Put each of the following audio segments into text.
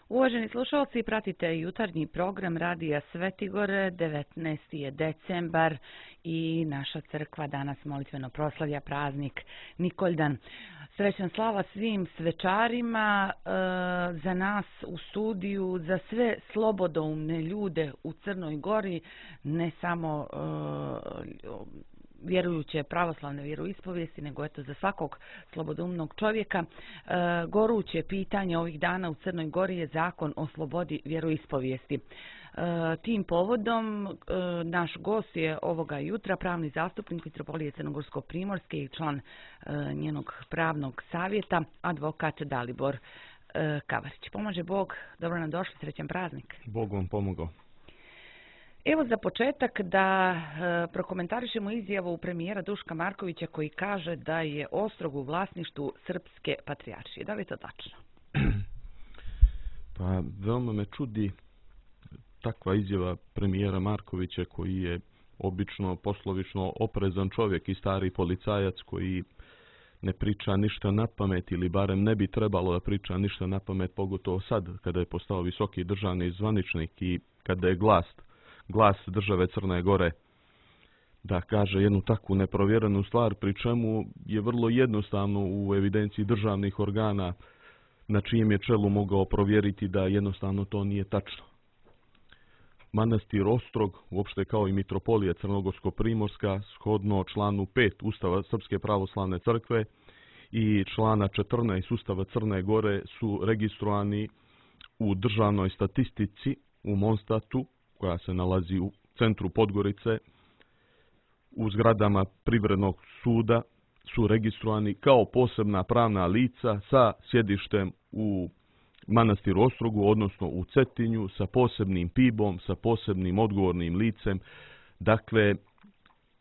Uvaženi slušalci, pratite jutarnji program Radija Svetigore, 19. je decembar i naša crkva danas molitveno proslavlja praznik Nikoldan. Srećan slava svim svečarima, za nas u studiju, za sve slobodoumne ljude u Crnoj Gori, ne samo vjerujuće pravoslavne vjeroispovijesti, nego eto za svakog slobodoumnog čovjeka. Goruće pitanje ovih dana u Crnoj Gori je zakon o slobodi vjeroispovijesti. Tim povodom naš gost je ovoga jutra pravni zastupnik Mitropolije Crnogorsko-primorske i član njenog pravnog savjeta, advokat Dalibor Kavarić. Pomaže Bog, dobro nam došli, srećan praznik. Bog vam pomogao. Evo za početak da prokomentarišemo izjavu premijera Duška Markovića koji kaže da je Ostrog u vlasništvu Srpske patrijaršije. Da li je to tačno? Pa veoma me čudi takva izjava premijera Markovića koji je obično poslovično oprezan čovjek i stari policajac koji ne priča ništa na pamet ili barem ne bi trebalo da priča ništa na pamet, pogotovo sad kada je postao visoki državni zvaničnik i kada je glas države Crne Gore da kaže jednu takvu neprovjerenu stvar, pri čemu je vrlo jednostavno u evidenciji državnih organa na čijem je čelu mogao provjeriti da jednostavno to nije tačno. Manastir Ostrog, uopšte kao i Mitropolija Crnogorsko-primorska, shodno članu 5 Ustava Srpske pravoslavne crkve i člana 14 Ustava Crne Gore su registrovani u državnoj statistici u Monstatu, koja se nalazi u centru Podgorice, u zgradama Privrednog suda, su registrovani kao posebna pravna lica sa sjedištem u Manastiru Ostrogu, odnosno u Cetinju, sa posebnim PIB-om, sa posebnim odgovornim licem. Dakle,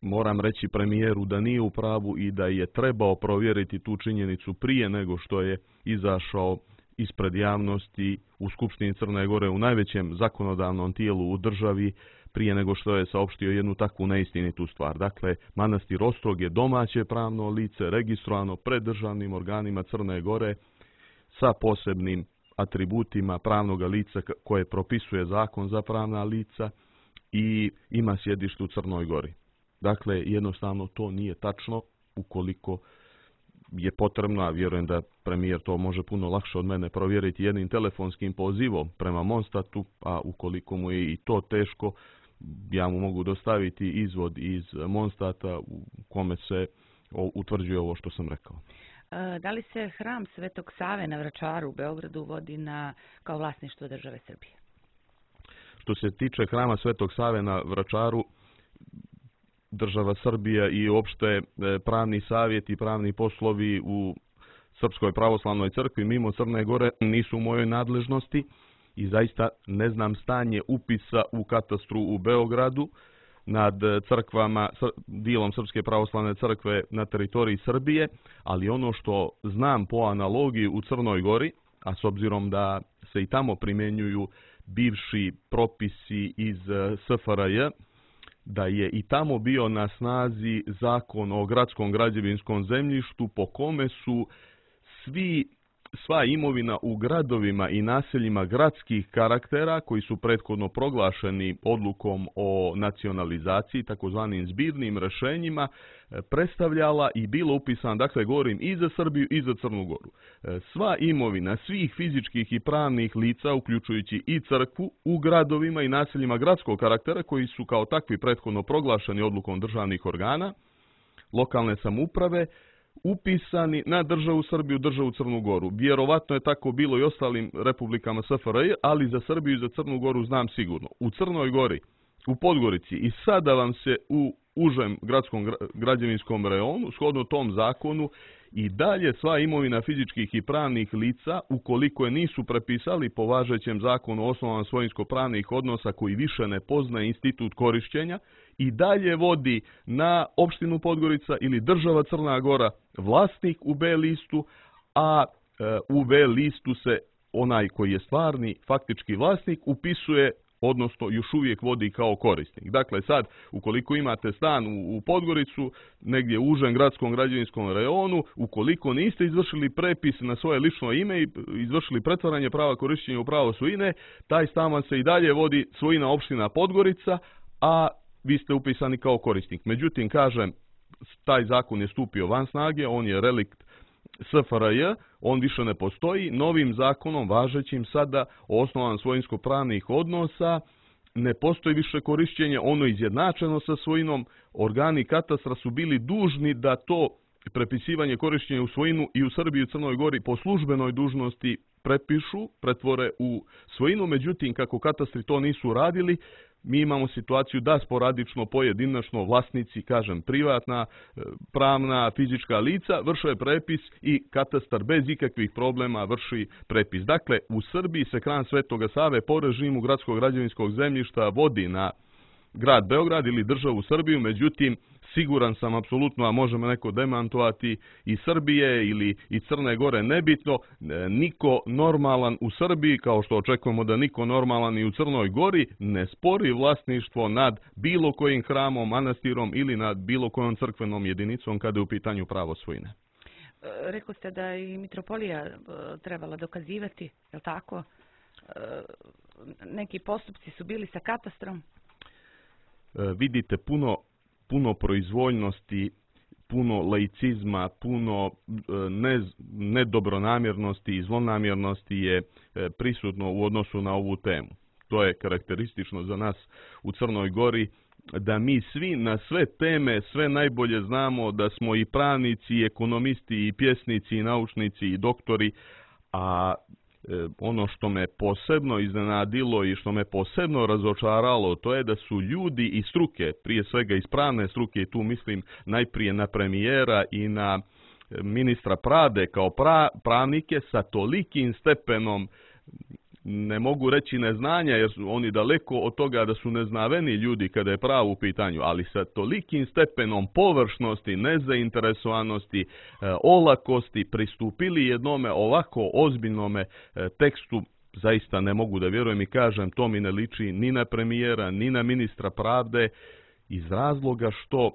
moram reći premijeru da nije u pravu i da je trebao provjeriti tu činjenicu prije nego što je izašao ispred javnosti u Skupštini Crne Gore, u najvećem zakonodavnom tijelu u državi, prije nego što je saopštio jednu takvu neistinitu stvar. Dakle, Manastir Ostrog je domaće pravno lice, registrovano pred državnim organima Crne Gore sa posebnim atributima pravnog lica koje propisuje zakon za pravna lica i ima sjedište u Crnoj Gori. Dakle, jednostavno to nije tačno. Ukoliko je potrebno, a vjerujem da premijer to može puno lakše od mene provjeriti jednim telefonskim pozivom prema Monstatu, a ukoliko mu je i to teško, ja mu mogu dostaviti izvod iz Monstata u kome se utvrđuje ovo što sam rekao. Da li se hram Svetog Save na Vračaru u Beogradu vodi kao vlasništvo države Srbije? Što se tiče hrama Svetog Save na Vračaru, država Srbija i uopšte pravni savjet i pravni poslovi u Srpskoj pravoslavnoj crkvi mimo Crne Gore nisu u mojoj nadležnosti i zaista ne znam stanje upisa u katastru u Beogradu nad crkvama, dijelom Srpske pravoslavne crkve na teritoriji Srbije, ali ono što znam po analogiji u Crnoj Gori, a s obzirom da se i tamo primjenjuju bivši propisi iz SFRJ, da je i tamo bio na snazi zakon o gradskom građevinskom zemljištu po kome su sva imovina u gradovima i naseljima gradskih karaktera koji su prethodno proglašeni odlukom o nacionalizaciji, takozvanim zbirnim rješenjima, predstavljala i bilo upisana, dakle govorim i za Srbiju i za Crnu Goru. Sva imovina svih fizičkih i pravnih lica, uključujući i crkvu, u gradovima i naseljima gradskog karaktera koji su kao takvi prethodno proglašeni odlukom državnih organa, lokalne samouprave, upisani na državu Srbiju, državu Crnu Goru. Vjerovatno je tako bilo i ostalim republikama SFRJ, ali za Srbiju i za Crnu Goru znam sigurno. U Crnoj Gori, u Podgorici i sada vam se u užem gradskom građevinskom reonu, shodno tom zakonu, i dalje sva imovina fizičkih i pravnih lica, ukoliko je nisu prepisali po važećem zakonu o osnovama svojinsko-pravnih odnosa koji više ne poznaje institut korišćenja, i dalje vodi na opštinu Podgorica ili država Crna Gora vlasnik u B listu, a u V listu se onaj koji je stvarni faktički vlasnik upisuje odnosno još uvijek vodi kao korisnik. Dakle, sad, ukoliko imate stan u Podgoricu, negdje u užem gradskom građevinskom rejonu, ukoliko niste izvršili prepis na svoje lično ime i izvršili pretvaranje prava korištenja u pravo svojine, taj stan vam se i dalje vodi svojina opština Podgorica, a vi ste upisani kao korisnik. Međutim, kažem, taj zakon je stupio van snage, on je relikt SFRJ, on više ne postoji. Novim zakonom, važećim sada o osnovama svojinsko-pravnih odnosa, ne postoji više korišćenje, ono izjednačeno sa svojinom. Organi katastra su bili dužni da to prepisivanje korišćenja u svojinu i u Srbiji i u Crnoj Gori po službenoj dužnosti prepišu, pretvore u svojinu. Međutim, kako katastri to nisu radili, mi imamo situaciju da sporadično, pojedinačno vlasnici, kažem privatna, pravna, fizička lica, vrše prepis i katastar bez ikakvih problema vrši prepis. Dakle, u Srbiji se Kran Svetoga Save po režimu gradskog građevinskog zemljišta vodi na grad Beograd ili državu Srbiju, međutim, siguran sam apsolutno, a možemo neko demantovati, i Srbije ili i Crne Gore, nebitno, niko normalan u Srbiji, kao što očekujemo da niko normalan i u Crnoj Gori, ne spori vlasništvo nad bilo kojim hramom, manastirom ili nad bilo kojom crkvenom jedinicom kada je u pitanju pravo svojine. Rekli ste da i mitropolija trebala dokazivati, je li tako? Neki postupci su bili sa katastrom? Vidite, puno proizvoljnosti, puno laicizma, puno nedobronamjernosti i zlonamjernosti je prisutno u odnosu na ovu temu. To je karakteristično za nas u Crnoj Gori, da mi svi na sve teme sve najbolje znamo, da smo i pravnici, i ekonomisti, i pjesnici, i naučnici, i doktori, a ono što me posebno iznenadilo i što me posebno razočaralo, to je da su ljudi iz struke, prije svega iz pravne struke, i tu mislim najprije na premijera i na ministra pravde kao pravnike, sa tolikim stepenom, ne mogu reći neznanja, jer su oni daleko od toga da su neznaveni ljudi kada je pravo u pitanju, ali sa tolikim stepenom površnosti, nezainteresovanosti, olakosti pristupili jednome ovako ozbiljnome tekstu. Zaista ne mogu da vjerujem i kažem, to mi ne liči ni na premijera, ni na ministra pravde, iz razloga što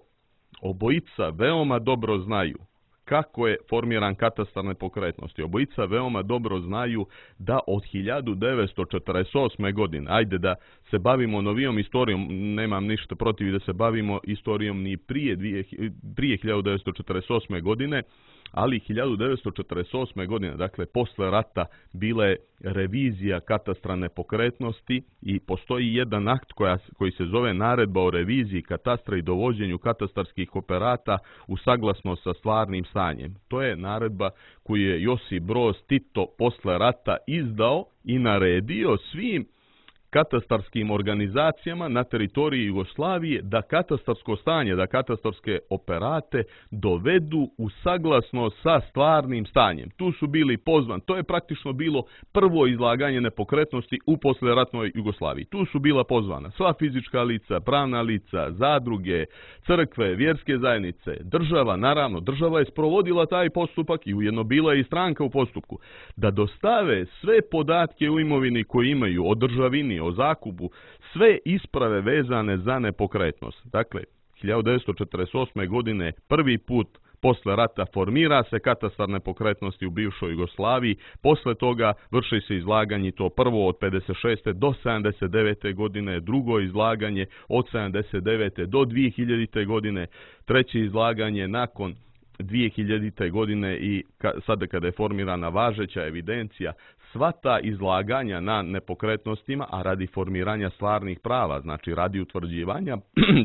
obojica veoma dobro znaju kako je formiran katastar nepokretnosti. Obojica veoma dobro znaju da od 1948. godine, ajde da se bavimo novijom istorijom, nemam ništa protiv da se bavimo istorijom ni prije 1948. godine, ali 1948. godine, dakle posle rata, bila je revizija katastra nepokretnosti i postoji jedan akt koji se zove Naredba o reviziji katastra i dovođenju katastarskih operata u saglasnost sa stvarnim stanjem. To je naredba koju je Josip Broz Tito posle rata izdao i naredio svim katastarskim organizacijama na teritoriji Jugoslavije da katastarsko stanje, da katastarske operate dovedu u saglasnost sa stvarnim stanjem. Tu su bili pozvani, to je praktično bilo prvo izlaganje nepokretnosti u posleratnoj Jugoslaviji. Tu su bila pozvana sva fizička lica, pravna lica, zadruge, crkve, vjerske zajednice, država, naravno, država je sprovodila taj postupak i ujedno bila je i stranka u postupku, da dostave sve podatke u imovini koje imaju o državini, o zakupu, sve isprave vezane za nepokretnost. Dakle, 1948. godine prvi put posle rata formira se katastar nepokretnosti u bivšoj Jugoslaviji, posle toga vrši se izlaganje, to prvo od 56. do 79. godine, drugo izlaganje od 79. do 2000. godine, treće izlaganje nakon 2000. godine i sada kada je formirana važeća evidencija. Sva ta izlaganja na nepokretnostima, a radi formiranja stvarnih prava, znači radi utvrđivanja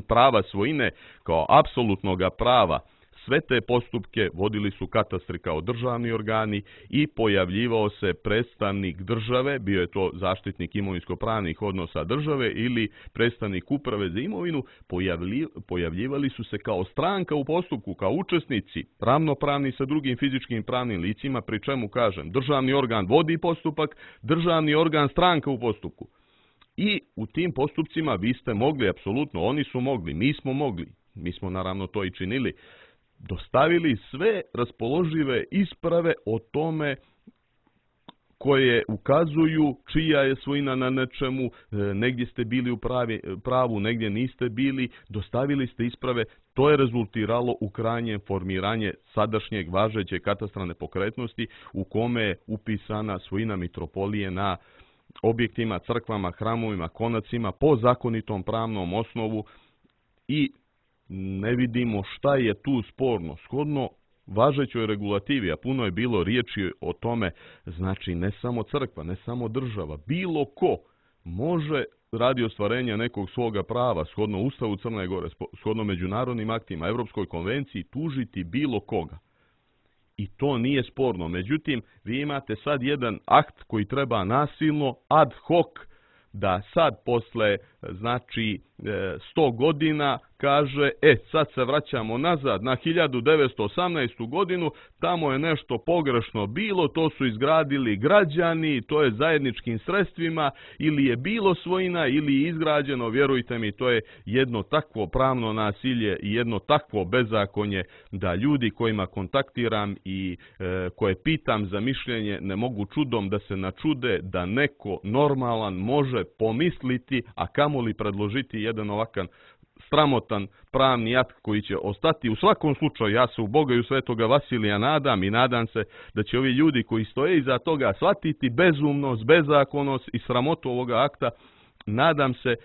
prava svojine kao apsolutnog prava, sve te postupke vodili su katastri kao državni organi i pojavljivao se predstavnik države, bio je to zaštitnik imovinsko-pravnih odnosa države ili predstavnik uprave za imovinu, pojavljivali su se kao stranka u postupku, kao učesnici, ravnopravni sa drugim fizičkim pravnim licima, pri čemu kažem, državni organ vodi postupak, državni organ stranka u postupku. I u tim postupcima vi ste mogli, apsolutno, oni su mogli, mi smo mogli, mi smo naravno to i činili, dostavili sve raspoložive isprave o tome koje ukazuju čija je svojina na nečemu, negdje ste bili u pravu, negdje niste bili, dostavili ste isprave. To je rezultiralo u krajnjem formiranje sadašnjeg važećeg katastra nepokretnosti u kome je upisana svojina mitropolije na objektima, crkvama, hramovima, konacima po zakonitom pravnom osnovu i ne vidimo šta je tu sporno. Shodno važećoj regulativi, a puno je bilo riječi o tome, znači ne samo crkva, ne samo država, bilo ko može radi ostvarenja nekog svoga prava, shodno Ustavu Crne Gore, shodno međunarodnim aktima, Europskoj konvenciji, tužiti bilo koga. I to nije sporno. Međutim, vi imate sad jedan akt koji treba nasilno, ad hoc, da sad posle, znači, 100 godina kaže, sad se vraćamo nazad na 1918. godinu, tamo je nešto pogrešno bilo, to su izgradili građani, to je zajedničkim sredstvima, ili je bilo svojina, ili je izgrađeno, vjerujte mi, to je jedno takvo pravno nasilje i jedno takvo bezakonje da ljudi kojima kontaktiram i koje pitam za mišljenje ne mogu čudom da se načude da neko normalan može pomisliti, a kamoli predložiti jedan ovakav sramotan pravni akt koji će ostati. U svakom slučaju, ja se u Boga i u Svetoga Vasilija nadam i nadam se da će ovi ljudi koji stoje iza toga shvatiti bezumnost, bezakonnost i sramotu ovoga akta. Nadam se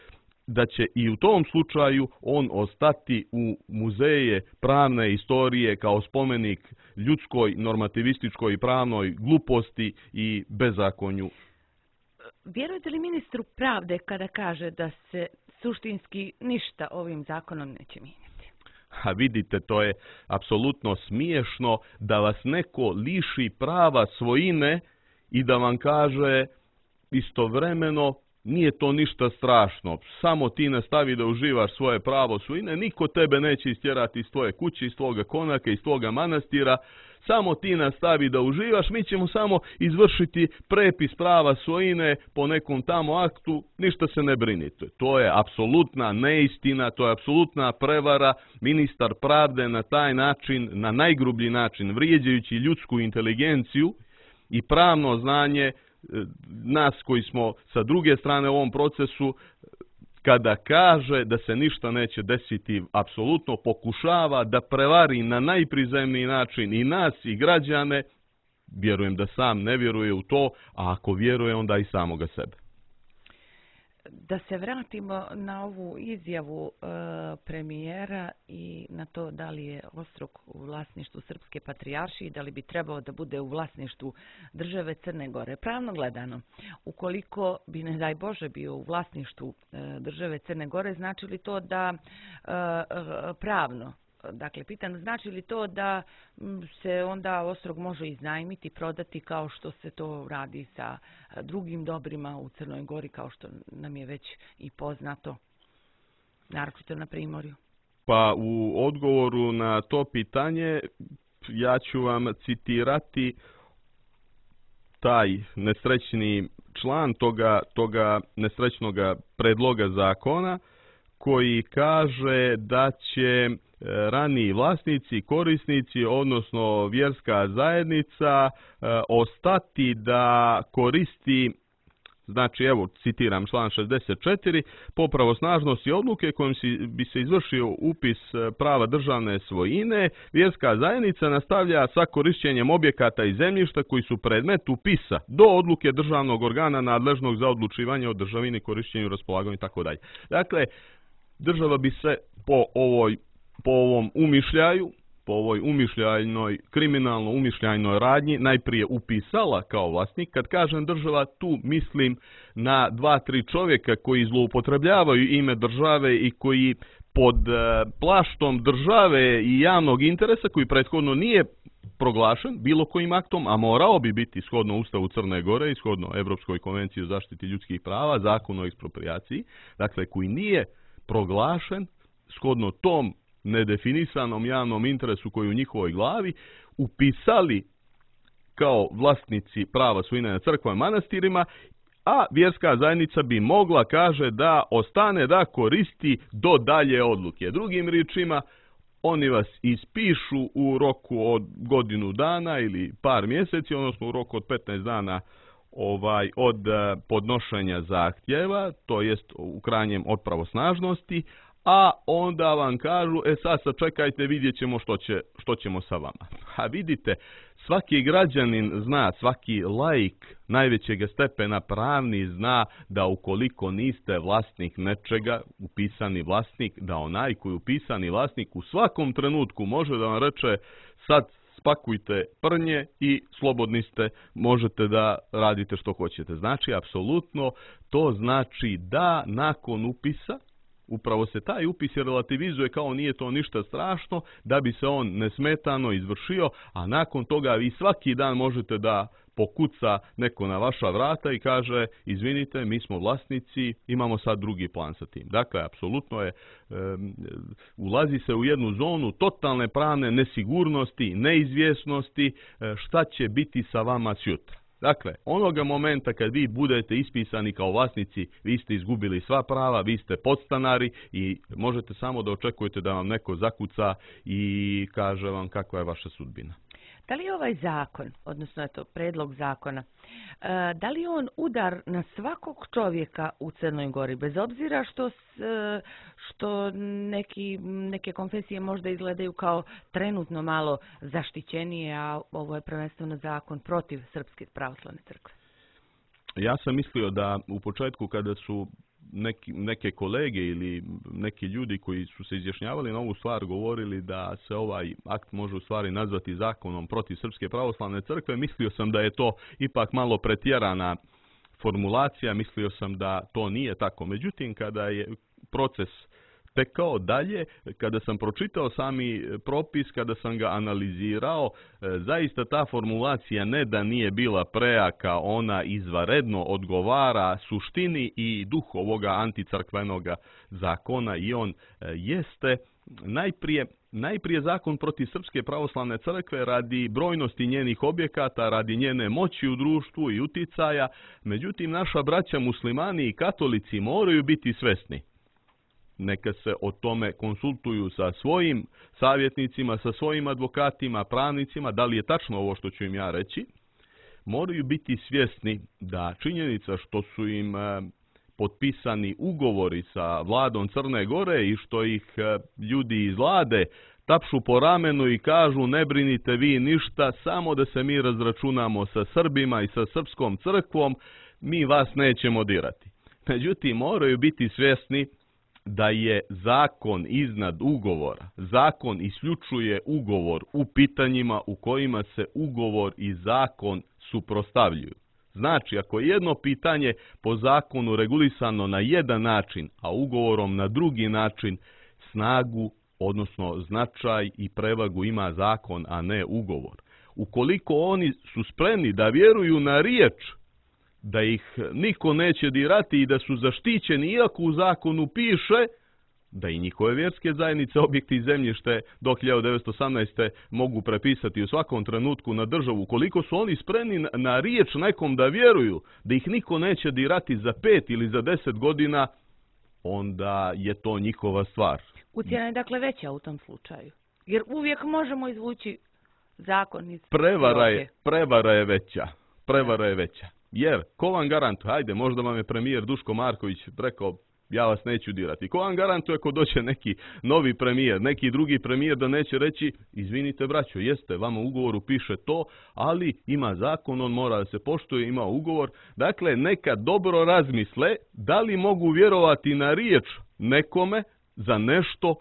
da će i u tom slučaju on ostati u muzeje pravne istorije kao spomenik ljudskoj, normativističkoj i pravnoj gluposti i bezakonju. Vjerujete li ministru pravde kada kaže da se suštinski ništa ovim zakonom neće mijenjati? A vidite, to je apsolutno smiješno da vas neko liši prava svojine i da vam kaže istovremeno nije to ništa strašno, samo ti nastavi da uživaš svoje pravo svojine, niko tebe neće istjerati iz tvoje kuće, iz tvoga konaka, iz tvoga manastira, samo ti nastavi da uživaš, mi ćemo samo izvršiti prepis prava svojine po nekom tamo aktu, ništa se ne brinite. To je apsolutna neistina, to je apsolutna prevara. Ministar pravde na taj način, na najgrublji način, vrijeđajući ljudsku inteligenciju i pravno znanje nas koji smo sa druge strane u ovom procesu, kada kaže da se ništa neće desiti, apsolutno pokušava da prevari na najprizemniji način i nas i građane. Vjerujem da sam ne vjeruje u to, a ako vjeruje onda i samoga sebe. Da se vratimo na ovu izjavu premijera i na to da li je Ostrog u vlasništvu Srpske patrijaršije i da li bi trebao da bude u vlasništvu države Crne Gore. Pravno gledano, ukoliko bi, ne daj Bože, bio u vlasništvu države Crne Gore, znači li to da pravno, dakle, pitam, znači li to da se onda Ostrog može iznajmiti, prodati kao što se to radi sa drugim dobrima u Crnoj Gori, kao što nam je već i poznato, naročito na Primorju? Pa u odgovoru na to pitanje ja ću vam citirati taj nesrećni član toga nesrećnog predloga zakona koji kaže da će raniji vlasnici, korisnici, odnosno vjerska zajednica ostati da koristi, znači evo citiram član 64, po pravosnažnosti odluke kojom bi se izvršio upis prava državne svojine, vjerska zajednica nastavlja sa korišćenjem objekata i zemljišta koji su predmet upisa do odluke državnog organa nadležnog za odlučivanje o državini, korišćenju, raspolaganju itd. Dakle, država bi se po ovom umišljaju, po ovoj umišljajnoj, kriminalno umišljajnoj radnji najprije upisala kao vlasnik. Kad kažem država, tu mislim na 2-3 čovjeka koji zloupotrebljavaju ime države i koji pod plaštom države i javnog interesa, koji prethodno nije proglašen bilo kojim aktom, a morao bi biti shodno Ustavu Crne Gore i shodno Europskoj konvenciji o zaštiti ljudskih prava, Zakonu o eksproprijaciji, dakle koji nije proglašen shodno tom nedefinisanom javnom interesu koji u njihovoj glavi upisali kao vlasnici prava svojine na crkvama i manastirima, a vjerska zajednica bi mogla, kaže, da ostane da koristi do dalje odluke. Drugim riječima, oni vas ispišu u roku od godinu dana ili par mjeseci, odnosno u roku od 15 dana od podnošenja zahtjeva, to jest u krajnjem od pravosnažnosti, a onda vam kažu, sad sačekajte, vidjet ćemo što ćemo sa vama. A vidite, svaki građanin zna, svaki laik najvećeg stepena pravni zna da ukoliko niste vlasnik nečega, upisani vlasnik, da onaj koji je upisani vlasnik u svakom trenutku može da vam reče sad spakujte prnje i slobodni ste, možete da radite što hoćete. Znači, apsolutno, to znači da nakon upisa, upravo se taj upis relativizuje kao nije to ništa strašno, da bi se on nesmetano izvršio, a nakon toga vi svaki dan možete da pokuca neko na vaša vrata i kaže, izvinite, mi smo vlasnici, imamo sad drugi plan sa tim. Dakle, apsolutno je, ulazi se u jednu zonu totalne pravne nesigurnosti, neizvjesnosti, šta će biti sa vama sjutra. Dakle, onoga momenta kad vi budete ispisani kao vlasnici, vi ste izgubili sva prava, vi ste podstanari i možete samo da očekujete da vam neko zakuca i kaže vam kakva je vaša sudbina. Da li je ovaj zakon, odnosno predlog zakona, da li je on udar na svakog čovjeka u Crnoj Gori, bez obzira što neke konfesije možda izgledaju kao trenutno malo zaštićenije, a ovo je prvenstveno zakon protiv Srpske pravoslavne crkve? Ja sam mislio da u početku kada su neke kolege ili neki ljudi koji su se izjašnjavali na ovu stvar govorili da se ovaj akt može u stvari nazvati zakonom protiv Srpske pravoslavne crkve, mislio sam da je to ipak malo pretjerana formulacija, mislio sam da to nije tako. Međutim, kada je proces tekao dalje, kada sam pročitao sami propis, kada sam ga analizirao, zaista ta formulacija ne da nije bila prejaka, ona izvanredno odgovara suštini i duhu ovoga anticrkvenoga zakona i on jeste najprije zakon protiv Srpske pravoslavne crkve radi brojnosti njenih objekata, radi njene moći u društvu i uticaja. Međutim, naša braća muslimani i katolici moraju biti svesni. Neka se o tome konsultuju sa svojim savjetnicima, sa svojim advokatima, pravnicima, da li je tačno ovo što ću im ja reći. Moraju biti svjesni da činjenica što su im potpisani ugovori sa vladom Crne Gore i što ih ljudi iz vlade tapšu po ramenu i kažu ne brinite vi ništa, samo da se mi razračunamo sa Srbima i sa Srpskom crkvom, mi vas nećemo dirati. Međutim, moraju biti svjesni da je zakon iznad ugovora. Zakon isključuje ugovor u pitanjima u kojima se ugovor i zakon suprotstavljuju. Znači, ako je jedno pitanje po zakonu regulisano na jedan način, a ugovorom na drugi način, snagu, odnosno značaj i prevagu ima zakon, a ne ugovor. Ukoliko oni su spremni da vjeruju na riječ, da ih niko neće dirati i da su zaštićeni, iako u zakonu piše da i njihove vjerske zajednice, objekti i zemljište do 1918. mogu prepisati u svakom trenutku na državu. Koliko su oni spremni na riječ nekom da vjeruju da ih niko neće dirati za 5 ili za 10 godina, onda je to njihova stvar. Ucjena je dakle veća u tom slučaju. Jer uvijek možemo izvući zakon iz prevara je veća. Prevara je veća. Jer, ko vam garantuje, hajde, možda vam je premijer Duško Marković rekao, ja vas neću dirati. Ko vam garantuje ako dođe neki novi premijer, neki drugi premijer da neće reći, izvinite braćo, jeste, vama u ugovoru piše to, ali ima zakon, on mora da se poštuje, ima ugovor. Dakle, neka dobro razmisle da li mogu vjerovati na riječ nekome za nešto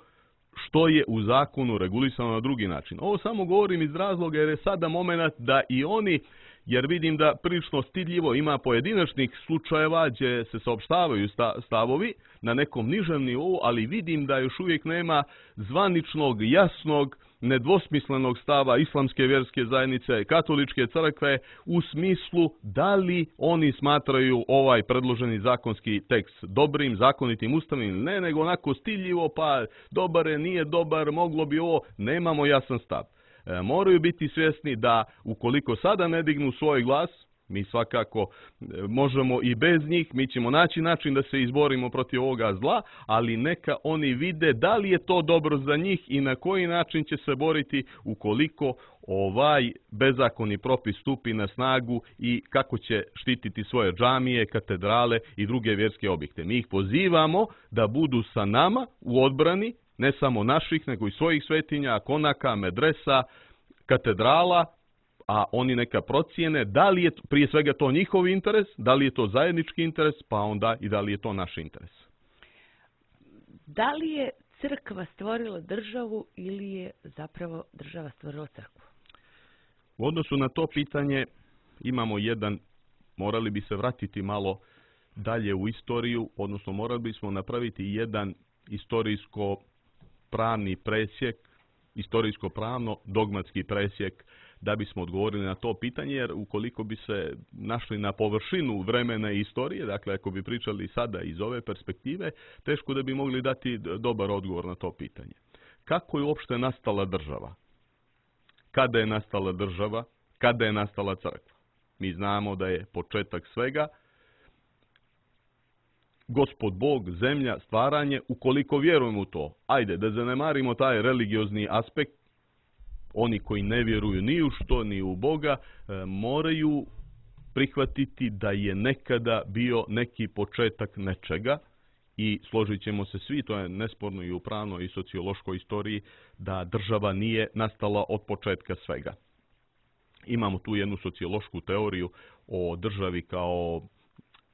što je u zakonu regulisano na drugi način. Ovo samo govorim iz razloga jer je sada moment da i oni, jer vidim da prilično stidljivo ima pojedinačnih slučajeva gdje se saopštavaju stavovi na nekom nižem nivou, ali vidim da još uvijek nema zvaničnog, jasnog, nedvosmislenog stava islamske vjerske zajednice, katoličke crkve u smislu da li oni smatraju ovaj predloženi zakonski tekst dobrim, zakonitim, ustavnim ili ne, nego onako stidljivo, pa dobar je, nije dobar, moglo bi ovo, nemamo jasan stav. Moraju biti svjesni da ukoliko sada ne dignu svoj glas, Mi svakako možemo i bez njih, mi ćemo naći način da se izborimo protiv ovoga zla, ali neka oni vide da li je to dobro za njih i na koji način će se boriti ukoliko ovaj bezakonni propis stupi na snagu i kako će štititi svoje džamije, katedrale i druge vjerske objekte. Mi ih pozivamo da budu sa nama u odbrani, ne samo naših, nego i svojih svetinja, konaka, medresa, katedrala, a oni neka procijene da li je prije svega to njihov interes, da li je to zajednički interes, pa onda i da li je to naš interes. Da li je crkva stvorila državu ili je zapravo država stvorila crkvu? U odnosu na to pitanje imamo morali bi se vratiti malo dalje u istoriju, odnosno morali bismo napraviti jedan istorijsko-pravni presjek, istorijsko-pravno dogmatski presjek da bismo odgovorili na to pitanje, jer ukoliko bi se našli na površinu vremena i istorije, dakle ako bi pričali sada iz ove perspektive, teško da bi mogli dati dobar odgovor na to pitanje. Kako je uopšte nastala država? Kada je nastala država? Kada je nastala crkva? Mi znamo da je početak svega Gospod Bog, zemlja, stvaranje, ukoliko vjerujemo u to. Ajde, da zanemarimo taj religiozni aspekt, oni koji ne vjeruju ni u što, ni u Boga, moraju prihvatiti da je nekada bio neki početak nečega i složit ćemo se svi, to je nesporno i u pravnoj i sociološkoj istoriji, da država nije nastala od početka svega. Imamo tu jednu sociološku teoriju o državi kao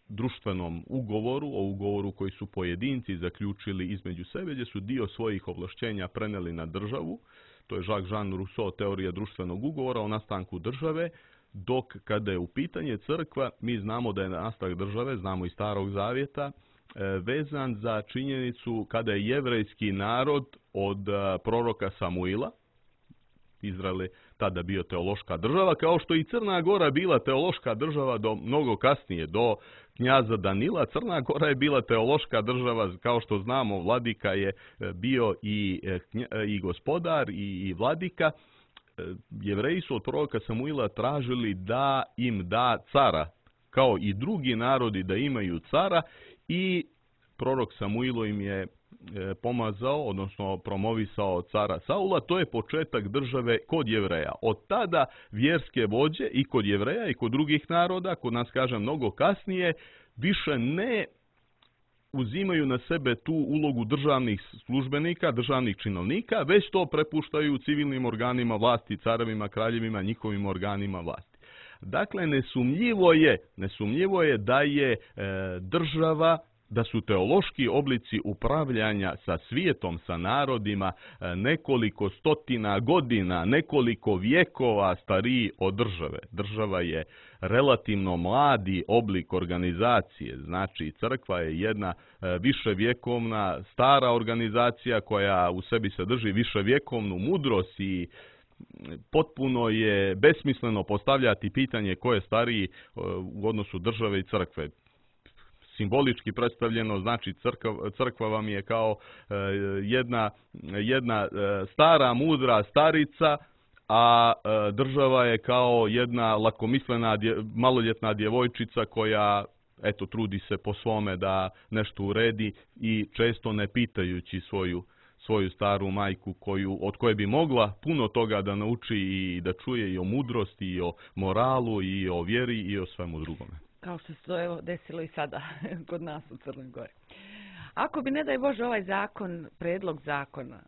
društvenom ugovoru, o ugovoru koji su pojedinci zaključili između sebe, gdje su dio svojih ovlašćenja preneli na državu. To je Jacques-Jean Rousseau, teorija društvenog ugovora o nastanku države, dok kada je u pitanje crkva, mi znamo da je nastanak države, znamo iz Starog Zavjeta, vezan za činjenicu kada je jevrejski narod od proroka Samuila, Izrael je tada bio teološka država, kao što i Crna Gora bila teološka država do mnogo kasnije, do knjaza Danila. Crna Gora je bila teološka država, kao što znamo, vladika je bio i gospodar i vladika. Jevreji su od proroka Samuila tražili da im da cara, kao i drugi narodi da imaju cara, i prorok Samuilo im je pomazao, odnosno promovisao cara Saula. To je početak države kod Jevreja. Od tada vjerske vođe i kod Jevreja i kod drugih naroda, kod nas kažem mnogo kasnije, više ne uzimaju na sebe tu ulogu državnih službenika, državnih činovnika, već to prepuštaju civilnim organima vlasti, carevima, kraljevima, njihovim organima vlasti. Dakle, nesumnjivo je da je država, da su teološki oblici upravljanja sa svijetom, sa narodima nekoliko stotina godina, nekoliko vjekova stariji od države. Država je relativno mladi oblik organizacije, znači crkva je jedna viševjekovna stara organizacija koja u sebi sadrži viševjekovnu mudrost i potpuno je besmisleno postavljati pitanje ko je stariji u odnosu države i crkve. Simbolički predstavljeno, znači crkva vam je kao jedna stara, mudra starica, a država je kao jedna lakomislena maloljetna djevojčica koja trudi se po svome da nešto uredi i često ne pitajući svoju staru majku od koje bi mogla puno toga da nauči i da čuje i o mudrosti, i o moralu, i o vjeri, i o svemu drugome. Kao što se to desilo i sada kod nas u Crnoj Gori. Ako bi, ne daj Bože, ovaj zakon, predlog zakona,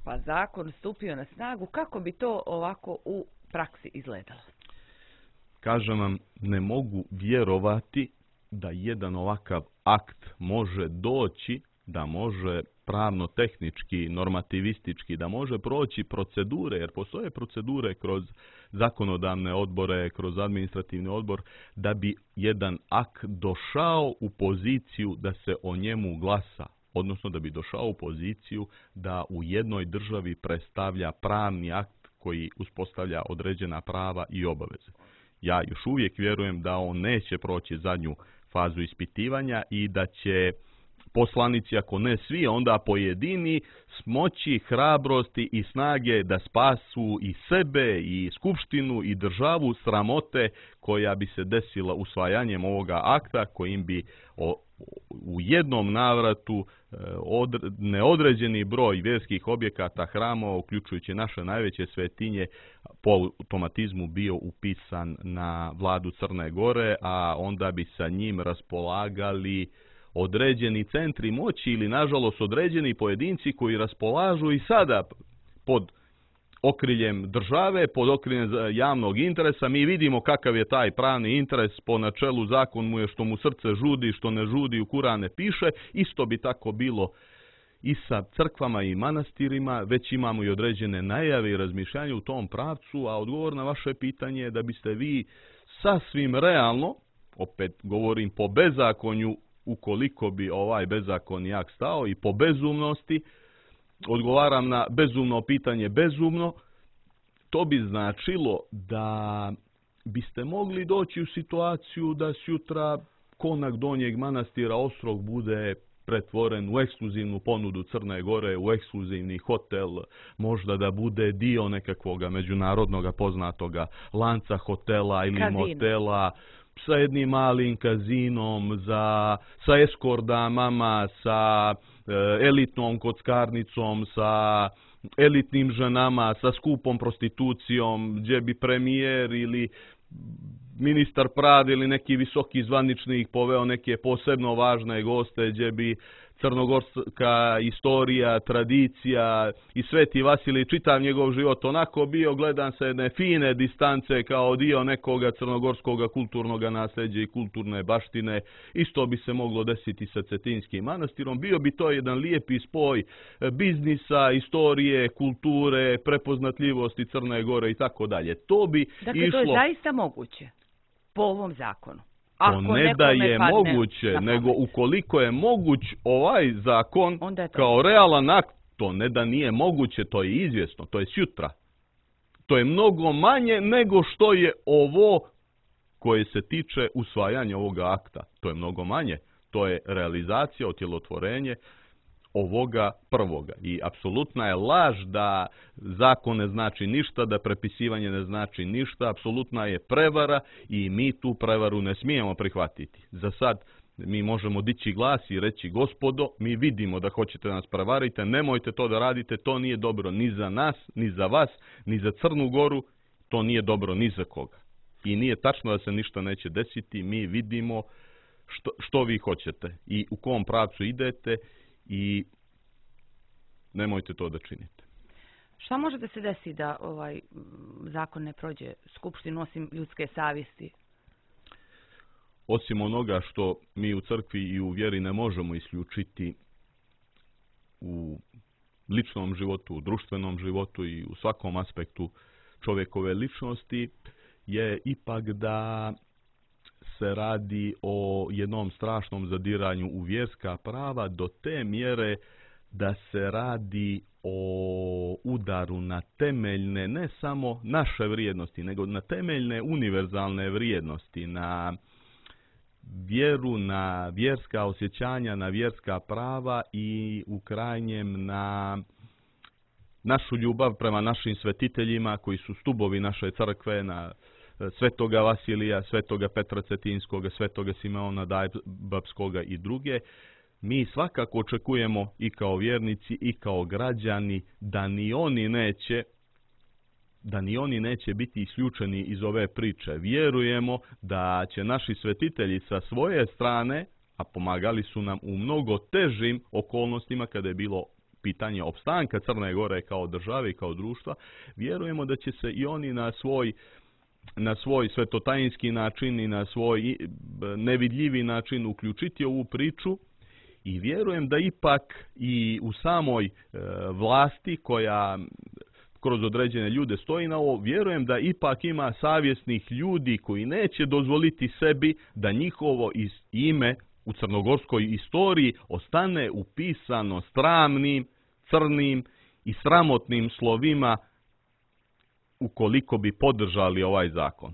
pa zakon stupio na snagu, kako bi to ovako u praksi izgledalo? Kažem vam, ne mogu vjerovati da jedan ovakav akt može doći, da može pravno-tehnički, normativistički, da može proći procedure, jer postoje procedure kroz zakonodavne odbore, kroz administrativni odbor, da bi jedan akt došao u poziciju da se o njemu glasa, odnosno da bi došao u poziciju da u jednoj državi predstavlja pravni akt koji uspostavlja određena prava i obaveze. Ja još uvijek vjerujem da on neće proći zadnju fazu ispitivanja i da će poslanici, ako ne svi, onda pojedini, smoći, hrabrosti i snage da spasu i sebe, i skupštinu, i državu sramote koja bi se desila usvajanjem ovoga akta, kojim bi u jednom navratu neodređeni broj vjerskih objekata, hramova, uključujući naše najveće svetinje, po automatizmu bio upisan na vladu Crne Gore, a onda bi sa njim raspolagali određeni centri moći ili, nažalost, određeni pojedinci koji raspolažu i sada pod okriljem države, pod okriljem javnog interesa. Mi vidimo kakav je taj pravni interes, po načelu zakon mu je što mu srce žudi, što ne žudi u Kur'an ne piše. Isto bi tako bilo i sa crkvama i manastirima, već imamo i određene najave i razmišljanja u tom pravcu, a odgovor na vaše pitanje je da biste vi sasvim realno, opet govorim po bezakonju, ukoliko bi ovaj bezakonji akt stao, i po bezumnosti, odgovaram na bezumno pitanje bezumno, to bi značilo da biste mogli doći u situaciju da sutra konak Donjeg Manastira Ostrog bude pretvoren u ekskluzivnu ponudu Crne Gore, u ekskluzivni hotel, možda da bude dio nekakvoga međunarodnog poznatoga lanca hotela ili motela, sa jednim malim kazinom, sa eskordamama, sa elitnom kockarnicom, sa elitnim ženama, sa skupom prostitucijom, gdje bi premijer ili ministar pravde ili neki visoki zvaničnik poveo neke posebno važne goste, gdje bi crnogorska istorija, tradicija i Sveti Vasilij, čitav njegov život onako bio gledan sa jedne fine distance kao dio nekoga crnogorskog kulturnog nasljeđa i kulturne baštine. Isto bi se moglo desiti sa Cetinskim manastirom. Bio bi to jedan lijepi spoj biznisa, istorije, kulture, prepoznatljivosti Crne Gore i tako dalje. To bi dakle, išlo... to je zaista moguće po ovom zakonu. To ne da je moguće, nego ukoliko je moguć ovaj zakon kao realan akt, to ne da nije moguće, to je izvjesno, to je sutra. To je mnogo manje nego što je ovo koje se tiče usvajanja ovoga akta. To je mnogo manje. To je realizacija, otjelotvorenje ovoga prvoga. I apsolutna je laž da zakon ne znači ništa, da prepisivanje ne znači ništa. Apsolutna je prevara i mi tu prevaru ne smijemo prihvatiti. Za sad mi možemo dići glas i reći: gospodo, mi vidimo da hoćete nas prevariti, nemojte to da radite, to nije dobro ni za nas, ni za vas, ni za Crnu Goru, to nije dobro ni za koga. I nije tačno da se ništa neće desiti, mi vidimo što vi hoćete i u kom pravcu idete i nemojte to da činite. Šta može da se desi da ovaj zakon ne prođe skupštinu osim ljudske savjesti? Osim onoga što mi u crkvi i u vjeri ne možemo isključiti u ličnom životu, u društvenom životu i u svakom aspektu čovjekove ličnosti, je ipak da se radi o jednom strašnom zadiranju u vjerska prava do te mjere da se radi o udaru na temeljne, ne samo naše vrijednosti, nego na temeljne univerzalne vrijednosti, na vjeru, na vjerska osjećanja, na vjerska prava i u krajnjem na našu ljubav prema našim svetiteljima koji su stubovi naše crkve, na Svetoga Vasilija, Svetoga Petra Cetinskoga, Svetoga Simeona Dajbapskoga i druge. Mi svakako očekujemo i kao vjernici i kao građani da ni oni neće biti isključeni iz ove priče. Vjerujemo da će naši svetitelji sa svoje strane, a pomagali su nam u mnogo težim okolnostima kada je bilo pitanje opstanka Crne Gore kao države i kao društva, vjerujemo da će se i oni na svoj svetotajinski način i na svoj nevidljivi način uključiti u ovu priču. I vjerujem da ipak i u samoj vlasti koja kroz određene ljude stoji na ovo, vjerujem da ipak ima savjesnih ljudi koji neće dozvoliti sebi da njihovo ime u crnogorskoj istoriji ostane upisano sramnim, crnim i sramotnim slovima ukoliko bi podržali ovaj zakon.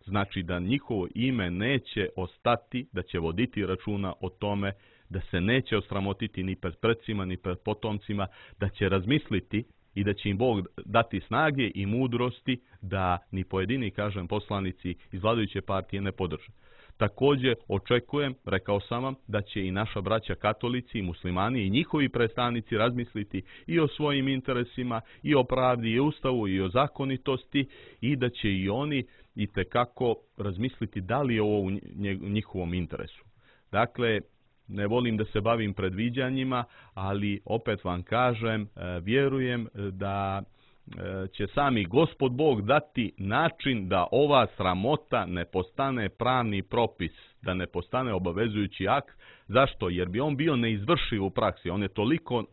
Znači da njihovo ime neće ostati, da će voditi računa o tome da se neće osramotiti ni pred predsima, ni pred potomcima, da će razmisliti i da će im Bog dati snage i mudrosti da ni pojedini, kažem, poslanici iz vladajuće partije ne podrže. Također očekujem, rekao sam vam, da će i naša braća katolici i muslimani i njihovi predstavnici razmisliti i o svojim interesima, i o pravdi, i o ustavu, i o zakonitosti, i da će i oni itekako razmisliti da li je ovo u njihovom interesu. Dakle, ne volim da se bavim predviđanjima, ali opet vam kažem, vjerujem da će sami Gospod Bog dati način da ova sramota ne postane pravni propis, da ne postane obavezujući akt. Zašto? Jer bi on bio neizvršiv u praksi. On je toliko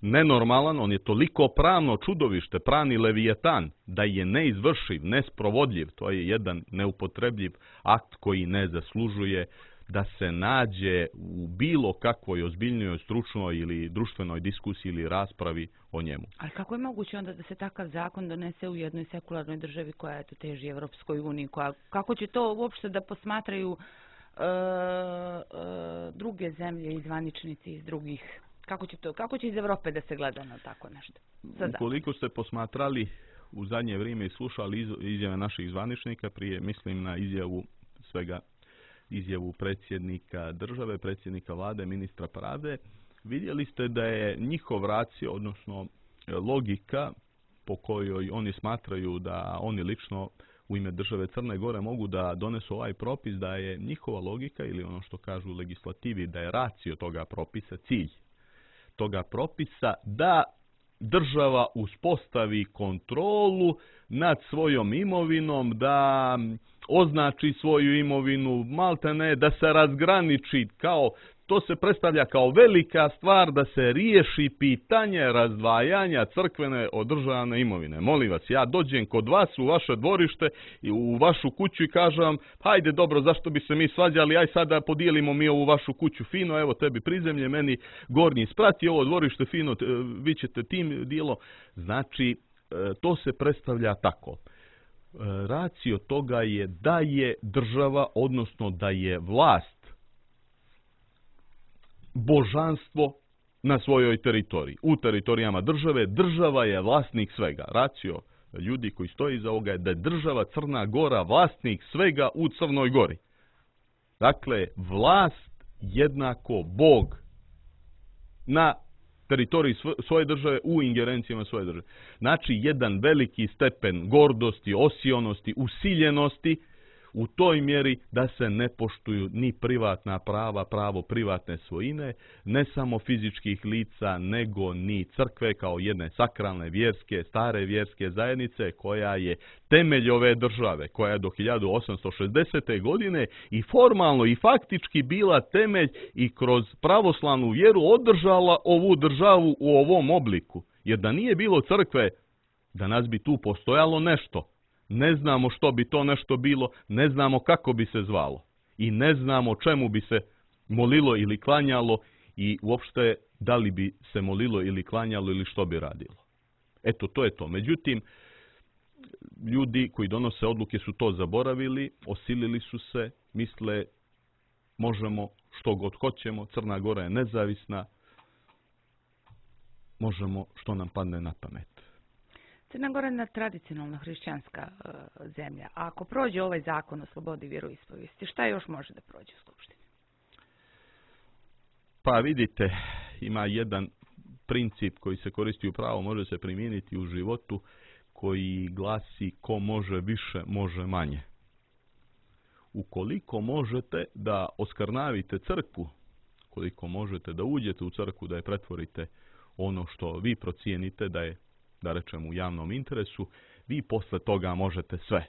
nenormalan, on je toliko pravno čudovište, pravni levijetan, da je neizvršiv, nesprovodljiv. To je jedan neupotrebljiv akt koji ne zaslužuje da se nađe u bilo kakvoj ozbiljnoj, stručnoj ili društvenoj diskusiji ili raspravi o njemu. Ali kako je moguće onda da se takav zakon donese u jednoj sekularnoj državi koja teži Evropskoj uniji? Kako će to uopšte da posmatraju druge zemlje i zvaničnici iz drugih? Kako će iz Evrope da se gleda na tako nešto? Ukoliko ste posmatrali u zadnje vrijeme i slušali izjave naših zvaničnika, prije mislim na izjavu predsjednika države, predsjednika vlade, ministra pravde, vidjeli ste da je njihov racio, odnosno logika po kojoj oni smatraju da oni lično u ime države Crne Gore mogu da donesu ovaj propis, da je njihova logika ili ono što kažu u legislativi, da je racio toga propisa, cilj toga propisa, da država uspostavi kontrolu nad svojom imovinom, da označi svoju imovinu, maltene da se razgraniči, to se predstavlja kao velika stvar da se riješi pitanje razdvajanja crkvene od državne imovine. Molim vas, ja dođem kod vas u vaše dvorište i u vašu kuću i kažem vam, hajde dobro, zašto bi se mi svađali, aj sada podijelimo mi ovu vašu kuću fino, evo tebi prizemlje, meni gornji sprat i ovo dvorište fino, vi ćete tim dijelo. Znači, to se predstavlja tako. Racio toga je da je država, odnosno da je vlast, božanstvo na svojoj teritoriji. U teritorijama države, država je vlasnik svega. Racio ljudi koji stoji iza ovoga je da je država Crna Gora vlasnik svega u Crnoj Gori. Dakle, vlast jednako Bog na teritoriji svoje države, u ingerencijama svoje države. Znači, jedan veliki stepen gordosti, osionosti, usiljenosti u toj mjeri da se ne poštuju ni privatna prava, pravo privatne svojine, ne samo fizičkih lica, nego ni crkve kao jedne sakralne vjerske, stare vjerske zajednice koja je temelj ove države, koja je do 1860. godine i formalno i faktički bila temelj i kroz pravoslavnu vjeru održala ovu državu u ovom obliku. Jer da nije bilo crkve, danas bi tu postojalo nešto. Ne znamo što bi to nešto bilo, ne znamo kako bi se zvalo i ne znamo čemu bi se molilo ili klanjalo i uopšte da li bi se molilo ili klanjalo ili što bi radilo. Eto, to je to. Međutim, ljudi koji donose odluke su to zaboravili, osilili su se, misle možemo što god hoćemo, Crna Gora je nezavisna, možemo što nam padne na pamet. Crna Gora je tradicionalno hrišćanska zemlja. A ako prođe ovaj zakon o slobodi vjeroispovijesti, šta još može da prođe u Skupštini? Pa vidite, ima jedan princip koji se koristi u pravu, može se primijeniti u životu, koji glasi ko može više, može manje. Ukoliko možete da oskrnavite crkvu, koliko možete da uđete u crkvu, da je pretvorite ono što vi procijenite da je, da rečem, u javnom interesu, vi posle toga možete sve.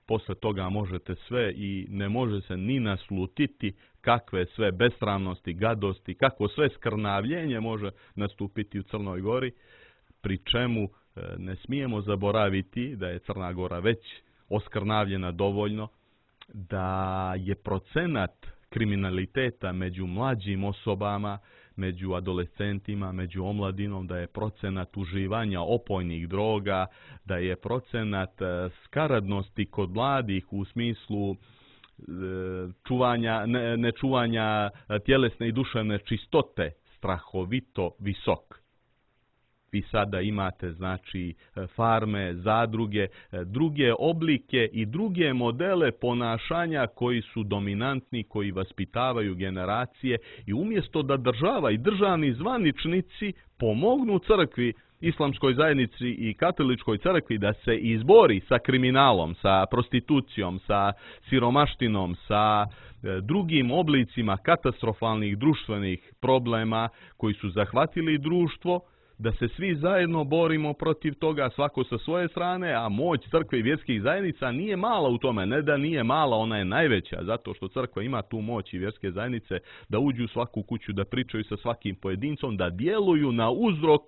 Posle toga možete sve i ne može se ni naslutiti kakve sve besramnosti, gadosti, kako sve skrnavljenje može nastupiti u Crnoj Gori, pri čemu ne smijemo zaboraviti da je Crna Gora već oskrnavljena dovoljno, da je procenat kriminaliteta među mlađim osobama, među adolescentima, među omladinom, da je procenat uživanja opojnih droga, da je procenat skaradnosti kod mladih u smislu nečuvanja tjelesne i duševne čistote strahovito visok. Vi sada imate znači farme, zadruge, druge oblike i druge modele ponašanja koji su dominantni, koji vaspitavaju generacije i umjesto da država i državni zvaničnici pomognu crkvi, islamskoj zajednici i katoličkoj crkvi da se izbori sa kriminalom, sa prostitucijom, sa siromaštinom, sa drugim oblicima katastrofalnih društvenih problema koji su zahvatili društvo, da se svi zajedno borimo protiv toga, svako sa svoje strane, a moć crkve i vjerskih zajednica nije mala u tome. Ne da nije mala, ona je najveća, zato što crkva ima tu moć i vjerske zajednice da uđu u svaku kuću, da pričaju sa svakim pojedincom, da djeluju na uzrok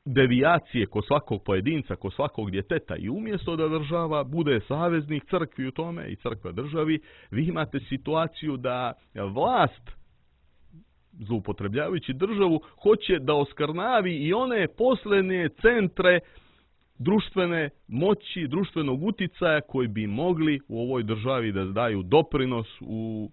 devijacije kod svakog pojedinca, kod svakog djeteta. I umjesto da država bude saveznik crkvi u tome i crkva državi, vi imate situaciju da vlast, zloupotrebljavajući državu, hoće da oskrnavi i one posljednje centre društvene moći, društvenog uticaja koji bi mogli u ovoj državi da daju doprinos u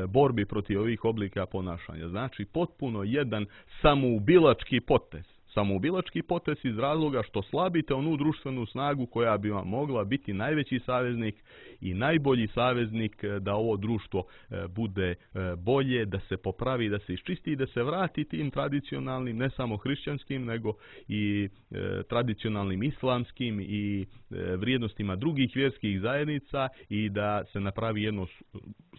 borbi protiv ovih oblika ponašanja. Znači, potpuno jedan samoubilački potez. Samoubilački potez iz razloga što slabite onu društvenu snagu koja bi vam mogla biti najveći saveznik i najbolji saveznik da ovo društvo bude bolje, da se popravi, da se iščisti i da se vrati tim tradicionalnim, ne samo hrišćanskim, nego i tradicionalnim islamskim i vrijednostima drugih vjerskih zajednica i da se napravi jedno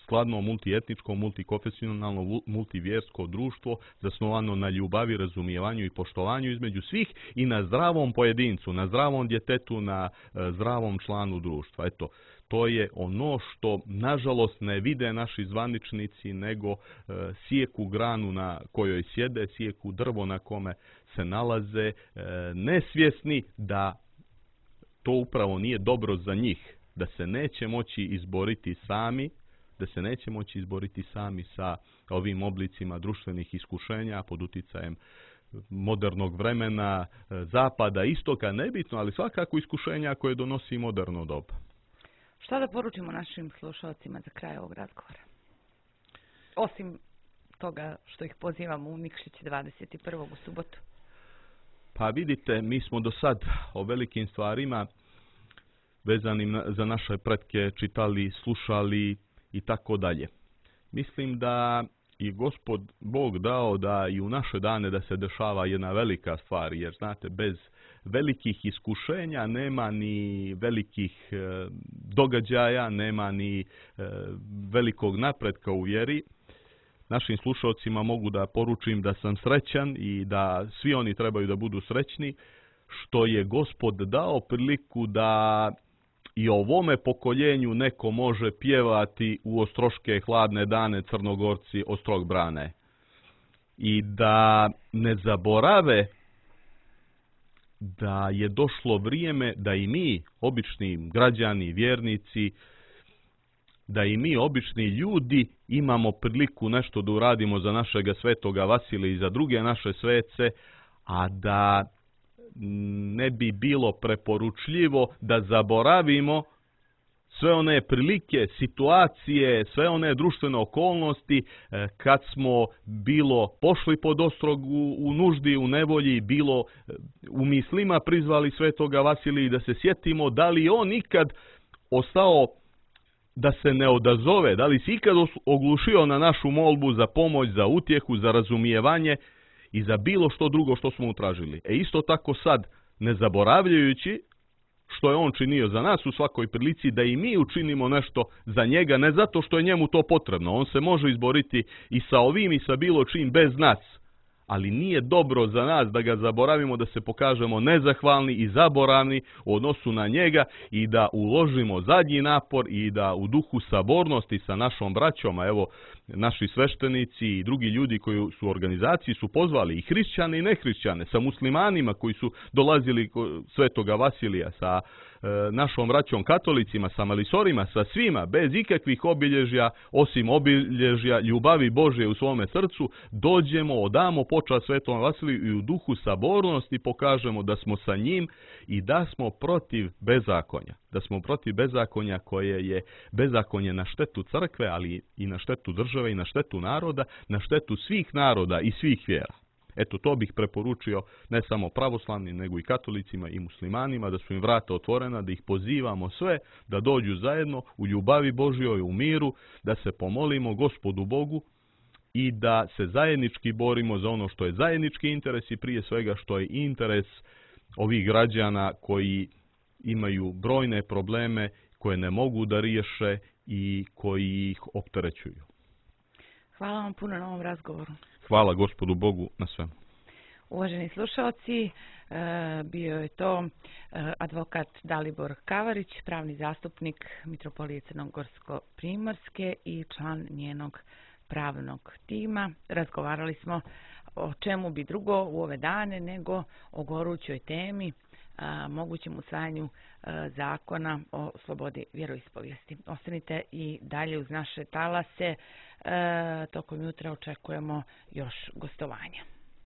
skladno multietničko, multikonfesionalno, multivjersko društvo zasnovano na ljubavi, razumijevanju i poštovanju između svih i na zdravom pojedincu, na zdravom djetetu, na zdravom članu društva. Eto, to je ono što nažalost ne vide naši zvaničnici, nego sijeku granu na kojoj sjede, sijeku drvo na kome se nalaze, nesvjesni da to upravo nije dobro za njih, da se neće moći izboriti sami, sa ovim oblicima društvenih iskušenja pod uticajem modernog vremena, zapada, istoka, nebitno, ali svakako iskušenja koje donosi moderno doba. Šta da poručimo našim slušalcima za kraj ovog razgovora? Osim toga što ih pozivamo u Nikšić 21. u subotu. Pa vidite, mi smo do sad o velikim stvarima vezanim za naše pretke čitali, slušali i tako dalje. Mislim da i Gospod Bog dao da i u naše dane da se dešava jedna velika stvar, jer znate, bez velikih iskušenja nema ni velikih događaja, nema ni velikog napretka u vjeri. Našim slušalcima mogu da poručim da sam srećan i da svi oni trebaju da budu srećni, što je Gospod dao priliku da i ovome pokoljenju neko može pjevati u ostroške hladne dane Crnogorci ostrog brane. I da ne zaborave da je došlo vrijeme da i mi, obični građani, vjernici, da i mi, obični ljudi, imamo priliku nešto da uradimo za našega svetoga Vasilija i za druge naše svece, a da ne bi bilo preporučljivo da zaboravimo sve one prilike, situacije, sve one društvene okolnosti kad smo bilo pošli pod ostrog u nuždi, u nevolji, bilo u mislima prizvali svetoga Vasilija i da se sjetimo da li on ikad ostao da se ne odazove, da li si ikad oglušio na našu molbu za pomoć, za utjehu, za razumijevanje i za bilo što drugo što smo utražili. Isto tako sad, ne zaboravljajući što je on činio za nas u svakoj prilici, da i mi učinimo nešto za njega, ne zato što je njemu to potrebno. On se može izboriti i sa ovim i sa bilo čim bez nas. Ali nije dobro za nas da ga zaboravimo, da se pokažemo nezahvalni i zaboravni u odnosu na njega i da uložimo zadnji napor i da u duhu sabornosti sa našom braćom, a evo naši sveštenici i drugi ljudi koji su u organizaciji su pozvali i hrišćane i nehrišćane, sa muslimanima koji su dolazili kod svetoga Vasilija, sa našom braćom katolicima, sa malisorima, sa svima, bez ikakvih obilježja, osim obilježja ljubavi Božje u svome srcu, dođemo, odamo počast Svetom Vasiliju i u duhu sabornosti pokažemo da smo sa njim i da smo protiv bezakonja. Da smo protiv bezakonja koje je bezakonje na štetu crkve, ali i na štetu države i na štetu naroda, na štetu svih naroda i svih vjera. Eto, to bih preporučio ne samo pravoslavnim, nego i katolicima i muslimanima, da su im vrata otvorena, da ih pozivamo sve da dođu zajedno u ljubavi Božjoj, u miru, da se pomolimo Gospodu Bogu i da se zajednički borimo za ono što je zajednički interes i prije svega što je interes ovih građana koji imaju brojne probleme koje ne mogu da riješe i koji ih opterećuju. Hvala vam puno na ovom razgovoru. Hvala Gospodu Bogu na svemu. Uvaženi slušalci, bio je to advokat Dalibor Kavarić, pravni zastupnik Mitropolije Crnogorsko-Primorske i član njenog pravnog tima. Razgovarali smo o čemu bi drugo u ove dane nego o gorućoj temi, mogućem usvajanju zakona o slobodi vjeroispovijesti. Ostanite i dalje uz naše talase. Tokom jutra očekujemo još gostovanja.